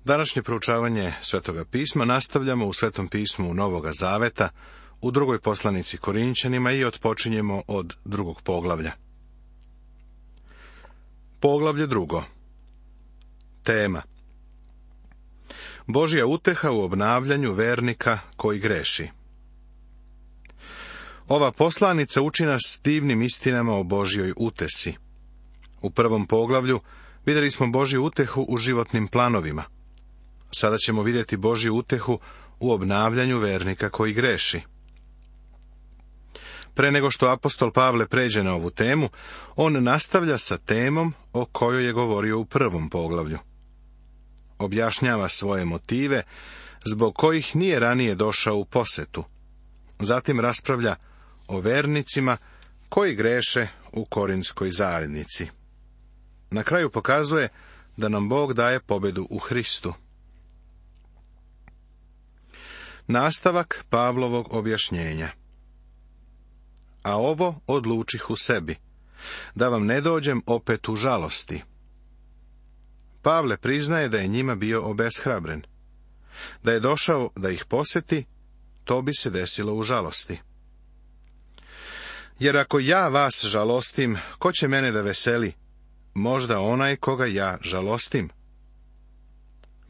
Današnje proučavanje Svetoga pisma nastavljamo u Svetom pismu Novoga Zaveta, u drugoj poslanici Korinćanima i otpočinjemo od 2. poglavlja. Poglavlje 2. Tema: Božja uteha u obnavljanju vernika koji greši. Ova poslanica uči nas divnim istinama o Božjoj utesi. U 1. poglavlju vidjeli smo Božju utehu u životnim planovima. Sada ćemo vidjeti Božju utehu u obnavljanju vernika koji greši. Pre nego što apostol Pavle pređe na ovu temu, on nastavlja sa temom o kojoj je govorio u 1. poglavlju. Objašnjava svoje motive zbog kojih nije ranije došao u posetu. Zatim raspravlja o vernicima koji greše u Korinskoj zajednici. Na kraju pokazuje da nam Bog daje pobedu u Hristu. Nastavak Pavlovog objašnjenja. A ovo odlučih u sebi, da vam ne dođem opet u žalosti. Pavle priznaje da je njima bio obeshrabren. Da je došao da ih posjeti, to bi se desilo u žalosti. Jer ako ja vas žalostim, ko će mene da veseli? Možda onaj koga ja žalostim.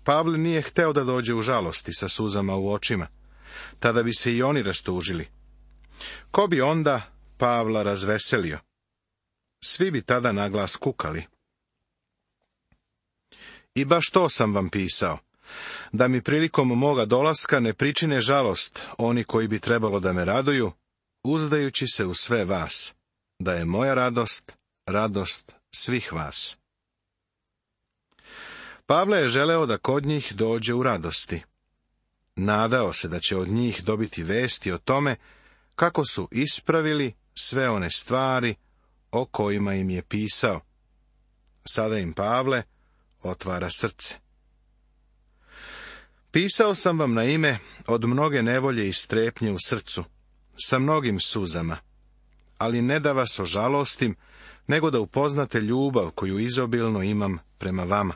Pavle nije hteo da dođe u žalosti sa suzama u očima. Tada bi se i oni rastužili. Ko bi onda Pavla razveselio? Svi bi tada naglas kukali. I baš to sam vam pisao, da mi prilikom moga dolaska ne pričine žalost oni koji bi trebalo da me raduju, uzdajući se u sve vas, da je moja radost, radost svih vas. Pavle je želeo da kod njih dođe u radosti. Nadao se da će od njih dobiti vesti o tome kako su ispravili sve one stvari o kojima im je pisao. Sada im Pavle otvara srce. Pisao sam vam na ime od mnoge nevolje i strepnje u srcu, sa mnogim suzama, ali ne da vas ožalostim, nego da upoznate ljubav koju izobilno imam prema vama.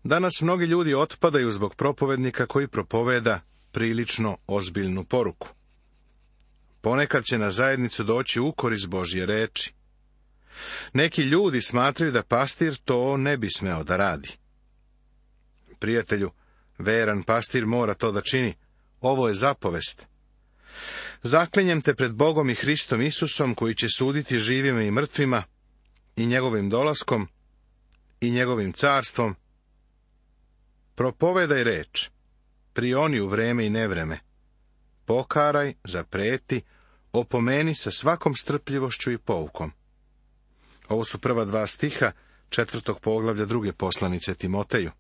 Danas mnogi ljudi otpadaju zbog propovednika koji propoveda prilično ozbiljnu poruku. Ponekad će na zajednicu doći ukor iz Božje reči. Neki ljudi smatraju da pastir to ne bi smeo da radi. Prijatelju, veran pastir mora to da čini. Ovo je zapovest. Zaklinjem te pred Bogom i Hristom Isusom, koji će suditi živima i mrtvima, i njegovim dolaskom, i njegovim carstvom. Propovedaj reč, prioni u vreme i nevreme. Pokaraj, zapreti, opomeni sa svakom strpljivošću i poukom. Ovo su prva 2 stiha 4. poglavlja 2. poslanice Timoteju.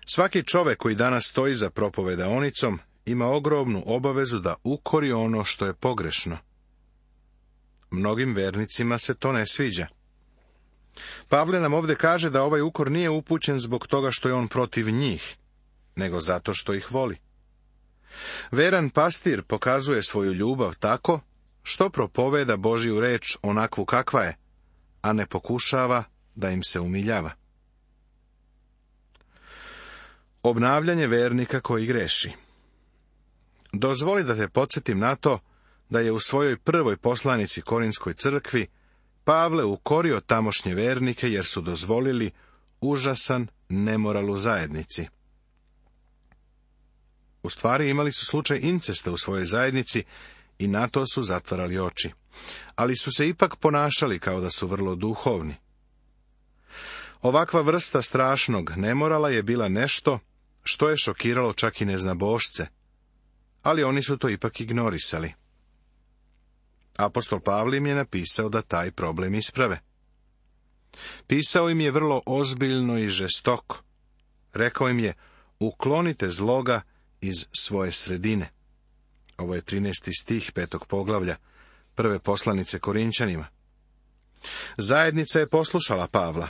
Svaki čovek koji danas stoji za propovedaonicom ima ogromnu obavezu da ukori ono što je pogrešno. Mnogim vernicima se to ne sviđa. Pavle nam ovdje kaže da ovaj ukor nije upućen zbog toga što je on protiv njih, nego zato što ih voli. Veran pastir pokazuje svoju ljubav tako što propoveda Božju reč onakvu kakva je, a ne pokušava da im se umiljava. Obnavljanje vernika koji greši. Dozvoli da te podsjetim na to da je u svojoj prvoj poslanici Korinskoj crkvi Pavle ukorio tamošnje vernike jer su dozvolili užasan nemoral u zajednici. U stvari imali su slučaj incesta u svojoj zajednici i na to su zatvarali oči. Ali su se ipak ponašali kao da su vrlo duhovni. Ovakva vrsta strašnog nemorala je bila nešto što je šokiralo čak i neznabošce, ali oni su to ipak ignorisali. Apostol Pavle im je napisao da taj problem isprave. Pisao im je vrlo ozbiljno i žestoko. Rekao im je, uklonite zloga iz svoje sredine. Ovo je 13. stih 5. poglavlja, prve poslanice Korinćanima. Zajednica je poslušala Pavla.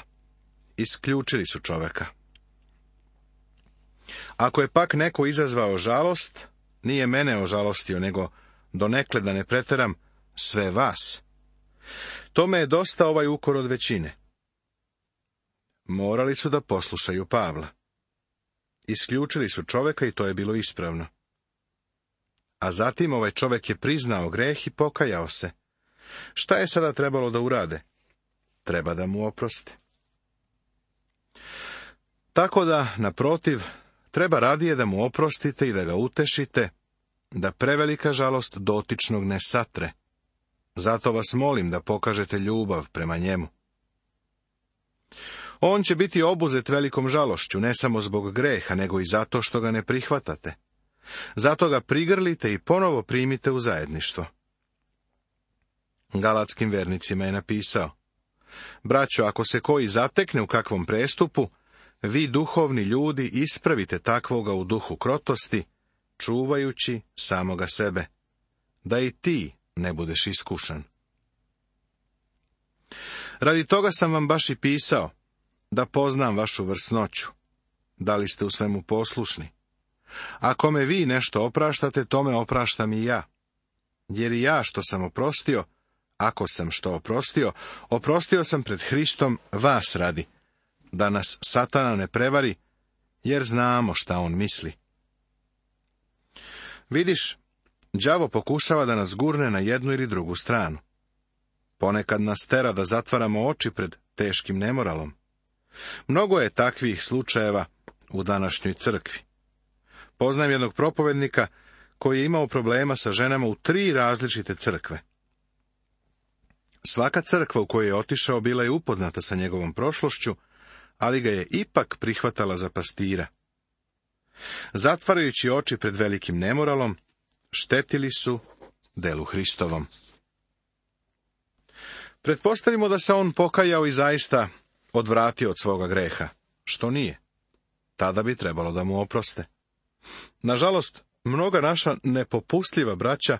Isključili su čoveka. Ako je pak neko izazvao žalost, nije mene ožalostio, nego, donekle da ne preteram, sve vas. Tome je dosta ovaj ukor od većine. morali su da poslušaju Pavla. Isključili su čoveka i to je bilo ispravno. A zatim ovaj čovek je priznao greh i pokajao se. Šta je sada trebalo da urade? Treba da mu oproste. Tako da, naprotiv, treba radije da mu oprostite i da ga utešite, da prevelika žalost dotičnog ne satre. Zato vas molim da pokažete ljubav prema njemu. On će biti obuzet velikom žalošću, ne samo zbog greha, nego i zato što ga ne prihvatate. Zato ga prigrlite i ponovo primite u zajedništvo. Galatskim vernicima je napisao: Braćo, ako se koji zatekne u kakvom prestupu, vi duhovni ljudi ispravite takvoga u duhu krotosti, čuvajući samoga sebe, da i ti ne budeš iskušan. Radi toga sam vam baš i pisao, da poznam vašu vrsnoću, da li ste u svemu poslušni. Ako me vi nešto opraštate, tome opraštam i ja. Jer i ja što sam oprostio, ako sam što oprostio, oprostio sam pred Hristom vas radi, da nas Satana ne prevari, jer znamo šta on misli. Vidiš, đavo pokušava da nas gurne na jednu ili drugu stranu. Ponekad nas tera da zatvaramo oči pred teškim nemoralom. Mnogo je takvih slučajeva u današnjoj crkvi. Poznajem jednog propovednika koji je imao problema sa ženama u 3 različite crkve. Svaka crkva u kojoj je otišao bila je upoznata sa njegovom prošlošću, ali ga je ipak prihvatala za pastira. Zatvarajući oči pred velikim nemoralom, štetili su delu Hristovom. Pretpostavimo da se on pokajao i zaista odvratio od svoga greha, što nije. Tada bi trebalo da mu oproste. Nažalost, mnoga naša nepopustljiva braća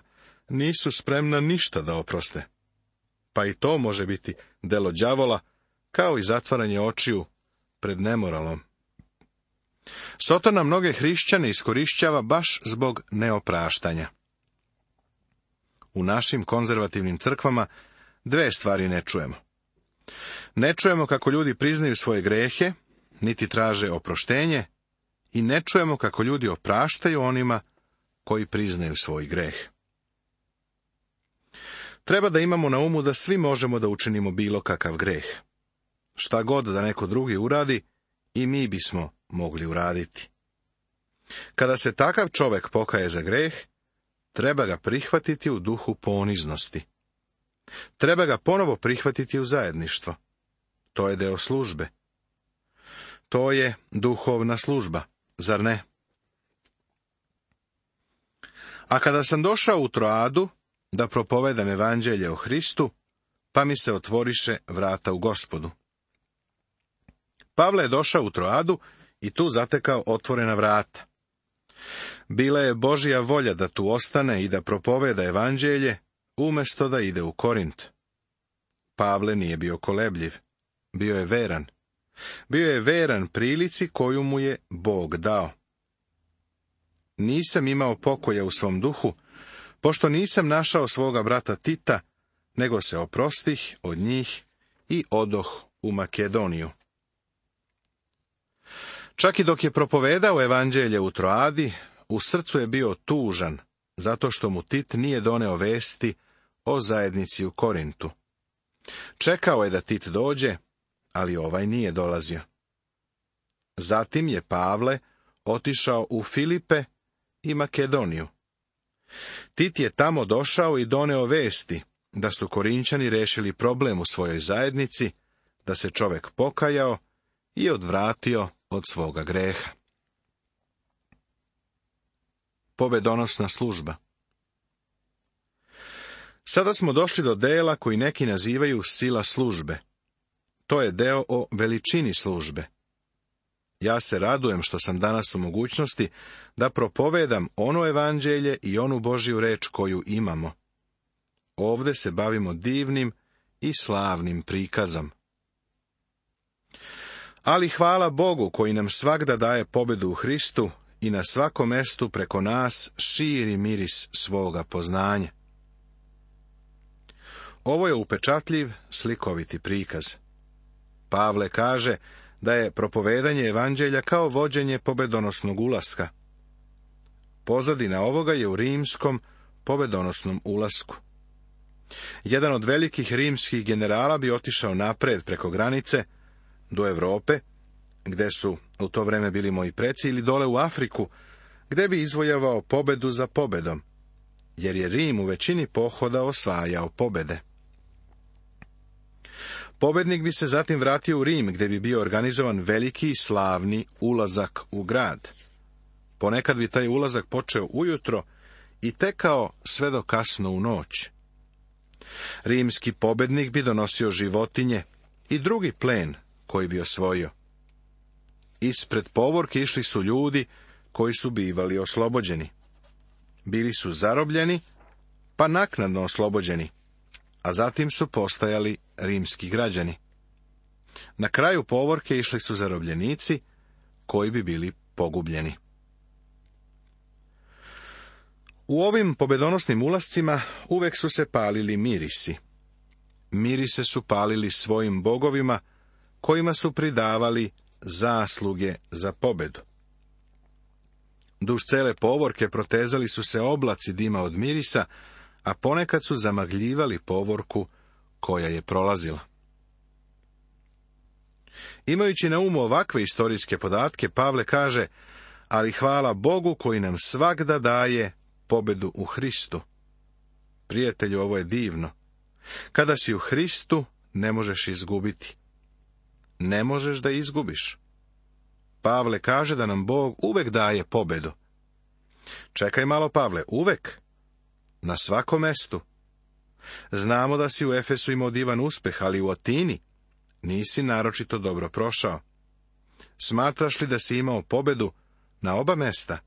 nisu spremna ništa da oproste. Pa i to može biti delo đavola, kao i zatvaranje očiju pred nemoralom. Sotona mnoge hrišćane iskorišćava baš zbog neopraštanja. U našim konzervativnim crkvama 2 stvari ne čujemo. Ne čujemo kako ljudi priznaju svoje grehe, niti traže oproštenje, i ne čujemo kako ljudi opraštaju onima koji priznaju svoj greh. Treba da imamo na umu da svi možemo da učinimo bilo kakav greh. Šta god da neko drugi uradi, i mi bismo mogli uraditi. Kada se takav čovek pokaje za greh, treba ga prihvatiti u duhu poniznosti. Treba ga ponovo prihvatiti u zajedništvo. To je deo službe. To je duhovna služba, zar ne? A kada sam došao u Troadu da propovedam evanđelje o Hristu, pa mi se otvoriše vrata u Gospodu. Pavle je došao u Troadu i tu zatekao otvorena vrata. Bila je Božja volja da tu ostane i da propoveda evanđelje, umesto da ide u Korint. Pavle nije bio kolebljiv, bio je veran. Bio je veran prilici koju mu je Bog dao. Nisam imao pokoja u svom duhu, pošto nisam našao svoga brata Tita, nego se oprostih od njih i odoh u Makedoniju. Čak i dok je propovedao evanđelje u Troadi, u srcu je bio tužan, zato što mu Tit nije doneo vesti o zajednici u Korintu. Čekao je da Tit dođe, ali ovaj nije dolazio. Zatim je Pavle otišao u Filipe i Makedoniju. Tit je tamo došao i doneo vesti da su Korinćani rešili problem u svojoj zajednici, da se čovek pokajao i odvratio od svoga greha. Pobedonosna služba. Sada smo došli do dela koji neki nazivaju sila službe. To je deo o veličini službe. Ja se radujem što sam danas u mogućnosti da propovedam ono evanđelje i onu Božju reč koju imamo. Ovde se bavimo divnim i slavnim prikazom. Ali hvala Bogu koji nam svagda daje pobedu u Hristu i na svakom mestu preko nas širi miris svoga poznanja. Ovo je upečatljiv, slikoviti prikaz. Pavle kaže da je propovedanje evanđelja kao vođenje pobedonosnog ulaska. Pozadina ovoga je u rimskom pobedonosnom ulasku. Jedan od velikih rimskih generala bi otišao napred preko granice do Europe, gde su u to vreme bili moji preci, ili dole u Afriku, gde bi izvojavao pobedu za pobedom, jer je Rim u većini pohoda osvajao pobede. Pobednik bi se zatim vratio u Rim, gde bi bio organizovan veliki i slavni ulazak u grad. Ponekad bi taj ulazak počeo ujutro i tekao sve do kasno u noć. Rimski pobednik bi donosio životinje i drugi plen koji bi osvojio. Ispred povorke išli su ljudi koji su bivali oslobođeni. Bili su zarobljeni, pa naknadno oslobođeni, a zatim su postajali rimski građani. Na kraju povorke išli su zarobljenici koji bi bili pogubljeni. U ovim pobedonosnim ulascima uvek su se palili mirisi. Mirise su palili svojim bogovima, kojima su pridavali zasluge za pobedu. Duž cele povorke protezali su se oblaci dima od mirisa, a ponekad su zamagljivali povorku koja je prolazila. Imajući na umu ovakve istorijske podatke, Pavle kaže, ali hvala Bogu koji nam svagda daje pobedu u Hristu. Prijatelju, ovo je divno. Kada si u Hristu, ne možeš izgubiti. Ne možeš da izgubiš. Pavle kaže da nam Bog uvek daje pobedu. Čekaj malo, Pavle, uvek? Na svakom mestu. Znamo da si u Efesu imao divan uspeh, ali u Atini nisi naročito dobro prošao. Smatraš li da si imao pobedu na oba mesta?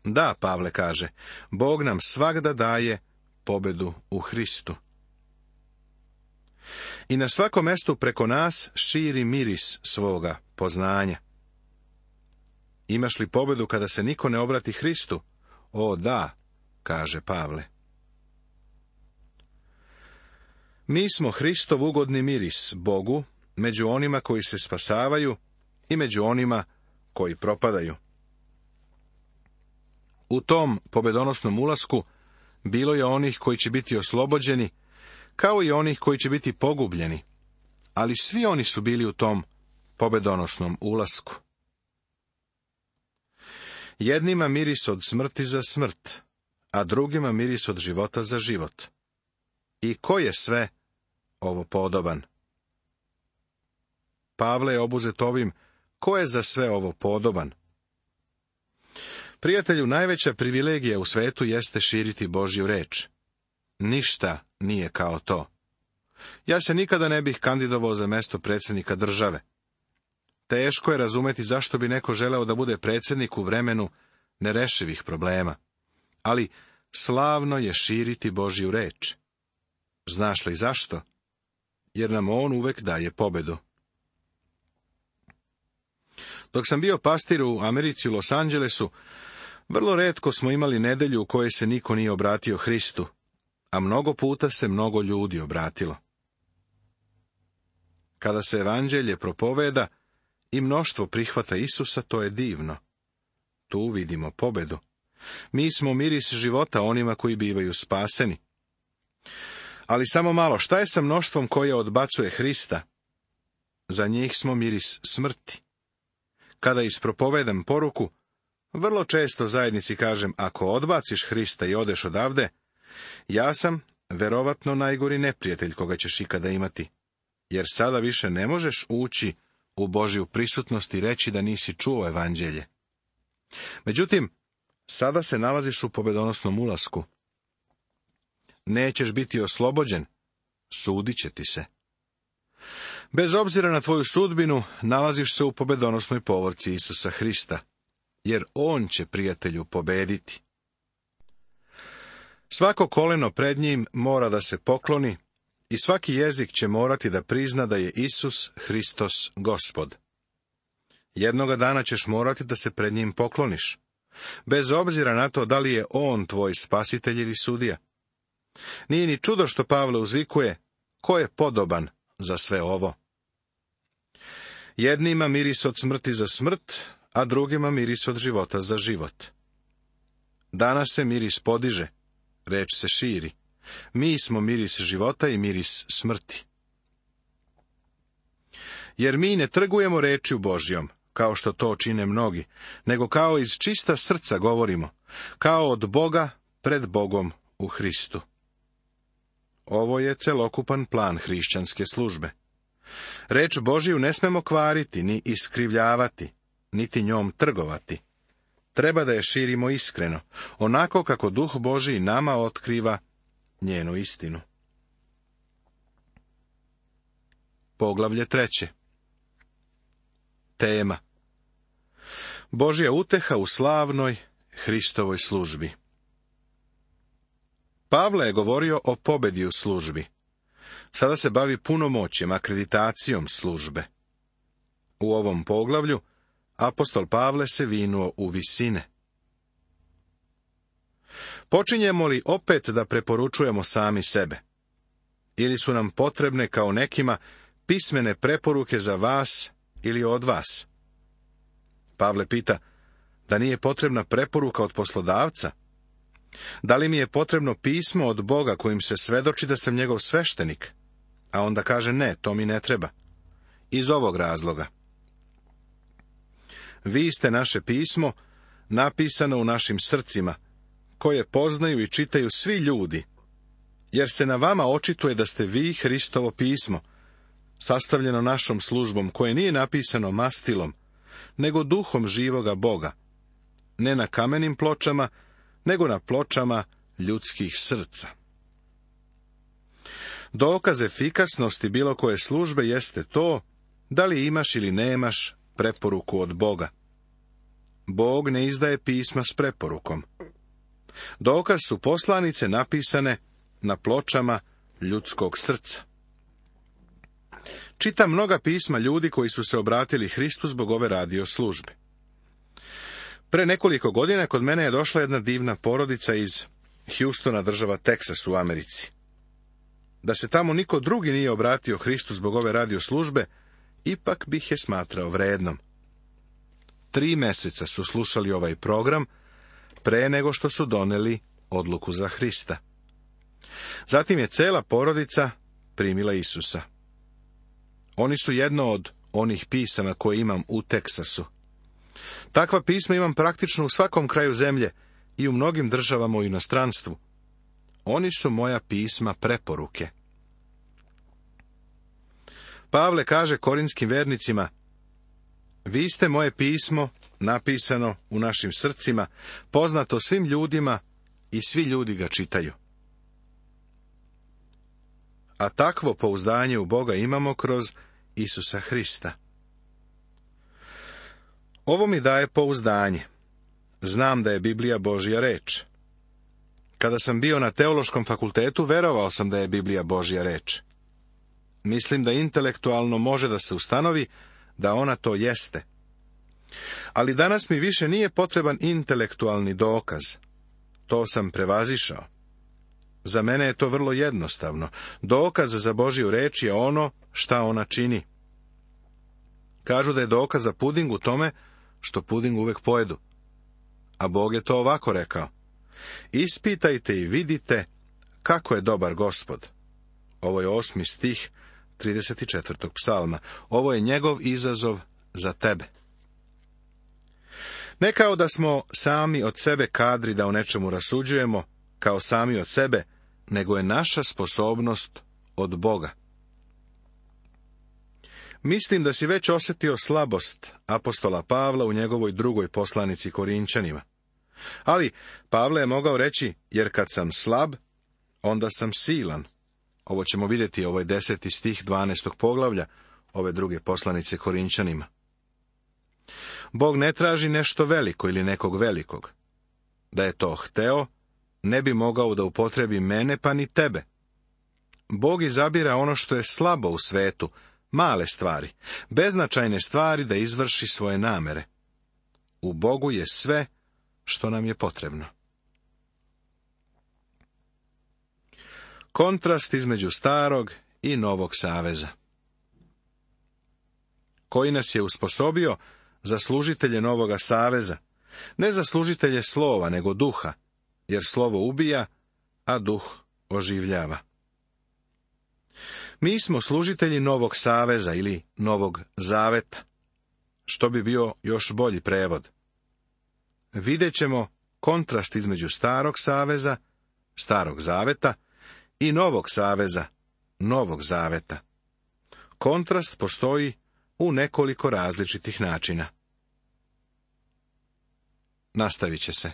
Da, Pavle kaže, Bog nam svagda daje pobedu u Hristu. I na svakom mestu preko nas širi miris svoga poznanja. Imaš li pobedu kada se niko ne obrati Hristu? O, da, kaže Pavle. Mi smo Hristov ugodni miris Bogu među onima koji se spasavaju i među onima koji propadaju. U tom pobedonosnom ulasku bilo je onih koji će biti oslobođeni, kao i onih koji će biti pogubljeni, ali svi oni su bili u tom pobedonosnom ulasku. Jednima miris od smrti za smrt, a drugima miris od života za život. I ko je sve ovo podoban? Pavle je obuzet ovim, ko je za sve ovo podoban? Prijatelju, najveća privilegija u svetu jeste širiti Božju reč. Ništa nije kao to. Ja se nikada ne bih kandidovao za mesto predsjednika države. Teško je razumeti zašto bi neko želeo da bude predsjednik u vremenu nerešivih problema. Ali slavno je širiti Božju reč. Znaš li zašto? Jer nam on uvek daje pobedu. Dok sam bio pastir u Americi u Los Angelesu, vrlo retko smo imali nedelju u kojoj se niko nije obratio Hristu, a mnogo puta se mnogo ljudi obratilo. Kada se evanđelje propoveda i mnoštvo prihvata Isusa, to je divno. Tu vidimo pobedu. Mi smo miris života onima koji bivaju spaseni. Ali samo malo, šta je sa mnoštvom koje odbacuje Hrista? Za njih smo miris smrti. Kada ispropovedam poruku, vrlo često zajednici kažem, ako odbaciš Hrista i odeš odavde, ja sam verovatno najgori neprijatelj koga ćeš ikada imati, jer sada više ne možeš ući u Božju prisutnost i reći da nisi čuo evanđelje. Međutim, sada se nalaziš u pobedonosnom ulasku. Nećeš biti oslobođen, sudit će ti se. Bez obzira na tvoju sudbinu, nalaziš se u pobedonosnoj povorci Isusa Hrista, jer on će, prijatelju, pobediti. Svako koleno pred njim mora da se pokloni i svaki jezik će morati da prizna da je Isus Hristos Gospod. Jednoga dana ćeš morati da se pred njim pokloniš, bez obzira na to da li je on tvoj spasitelj ili sudija. Nije ni čudo što Pavle uzvikuje, ko je podoban za sve ovo. Jednima miris od smrti za smrt, a drugima miris od života za život. Danas se miris podiže, reč se širi. Mi smo miris života i miris smrti. Jer mi ne trgujemo rečju Božjom, kao što to čine mnogi, nego kao iz čista srca govorimo, kao od Boga pred Bogom u Hristu. Ovo je celokupan plan hrišćanske službe. Reč Božju ne smemo kvariti, ni iskrivljavati, niti njom trgovati. Treba da je širimo iskreno, onako kako Duh Božji nama otkriva njenu istinu. Poglavlje 3. Tema: Božja uteha u slavnoj Hristovoj službi. Pavle je govorio o pobedi u službi. Sada se bavi punomoćjem, akreditacijom službe. U ovom poglavlju apostol Pavle se vinuo u visine. Počinjemo li opet da preporučujemo sami sebe? Ili su nam potrebne, kao nekima, pismene preporuke za vas ili od vas? Pavle pita, da nije potrebna preporuka od poslodavca? Da li mi je potrebno pismo od Boga kojim se svedoči da sam njegov sveštenik? A onda kaže, ne, to mi ne treba. Iz ovog razloga: vi ste naše pismo, napisano u našim srcima, koje poznaju i čitaju svi ljudi, jer se na vama očituje da ste vi Hristovo pismo, sastavljeno našom službom, koje nije napisano mastilom, nego duhom živoga Boga, ne na kamenim pločama, nego na pločama ljudskih srca. Dokaz efikasnosti bilo koje službe jeste to, da li imaš ili nemaš preporuku od Boga. Bog ne izdaje pisma s preporukom. Dokaz su poslanice napisane na pločama ljudskog srca. Čitam mnoga pisma ljudi koji su se obratili Hristu zbog ove radio službe. Pre nekoliko godina kod mene je došla jedna divna porodica iz Houstona, država Teksas u Americi. Da se tamo niko drugi nije obratio Hristu zbog ove radio službe, ipak bih je smatrao vrednom. 3 meseca su slušali ovaj program pre nego što su doneli odluku za Hrista. Zatim je cela porodica primila Isusa. Oni su jedno od onih pisama koje imam u Teksasu. Takva pisma imam praktično u svakom kraju zemlje i u mnogim državama u inostranstvu. Oni su moja pisma preporuke. Pavle kaže korinskim vernicima, vi ste moje pismo, napisano u našim srcima, poznato svim ljudima i svi ljudi ga čitaju. A takvo pouzdanje u Boga imamo kroz Isusa Hrista. Ovo mi daje pouzdanje. Znam da je Biblija Božja reč. Kada sam bio na teološkom fakultetu, verovao sam da je Biblija Božja reč. Mislim da intelektualno može da se ustanovi da ona to jeste. Ali danas mi više nije potreban intelektualni dokaz. To sam prevazišao. Za mene je to vrlo jednostavno. Dokaz za Božju reč je ono šta ona čini. Kažu da je dokaz za puding u tome što puding uvek pojedu. A Bog je to ovako rekao: ispitajte i vidite kako je dobar Gospod. Ovo je 8. stih 34. psalma. Ovo je njegov izazov za tebe. Ne kao da smo sami od sebe kadri da o nečemu rasuđujemo, kao sami od sebe, nego je naša sposobnost od Boga. Mislim da si već osjetio slabost apostola Pavla u njegovoj drugoj poslanici Korinčanima. Ali Pavle je mogao reći, jer kad sam slab, onda sam silan. Ovo ćemo vidjeti, ovo je 10. stih 12. poglavlja ove druge poslanice Korinčanima. Bog ne traži nešto veliko ili nekog velikog. Da je to hteo, ne bi mogao da upotrebi mene pa ni tebe. Bog izabira ono što je slabo u svetu, male stvari, beznačajne stvari da izvrši svoje namere. U Bogu je sve što nam je potrebno. Kontrast između starog i novog saveza. koji nas je usposobio za služitelje novoga saveza, ne za služitelje slova, nego duha, jer slovo ubija, a duh oživljava. Mi smo služitelji novog saveza ili novog zaveta, što bi bio još bolji prevod. Vidjet ćemo kontrast između starog saveza, starog zaveta, i novog saveza, novog zaveta. Kontrast postoji u nekoliko različitih načina. Nastavit će se.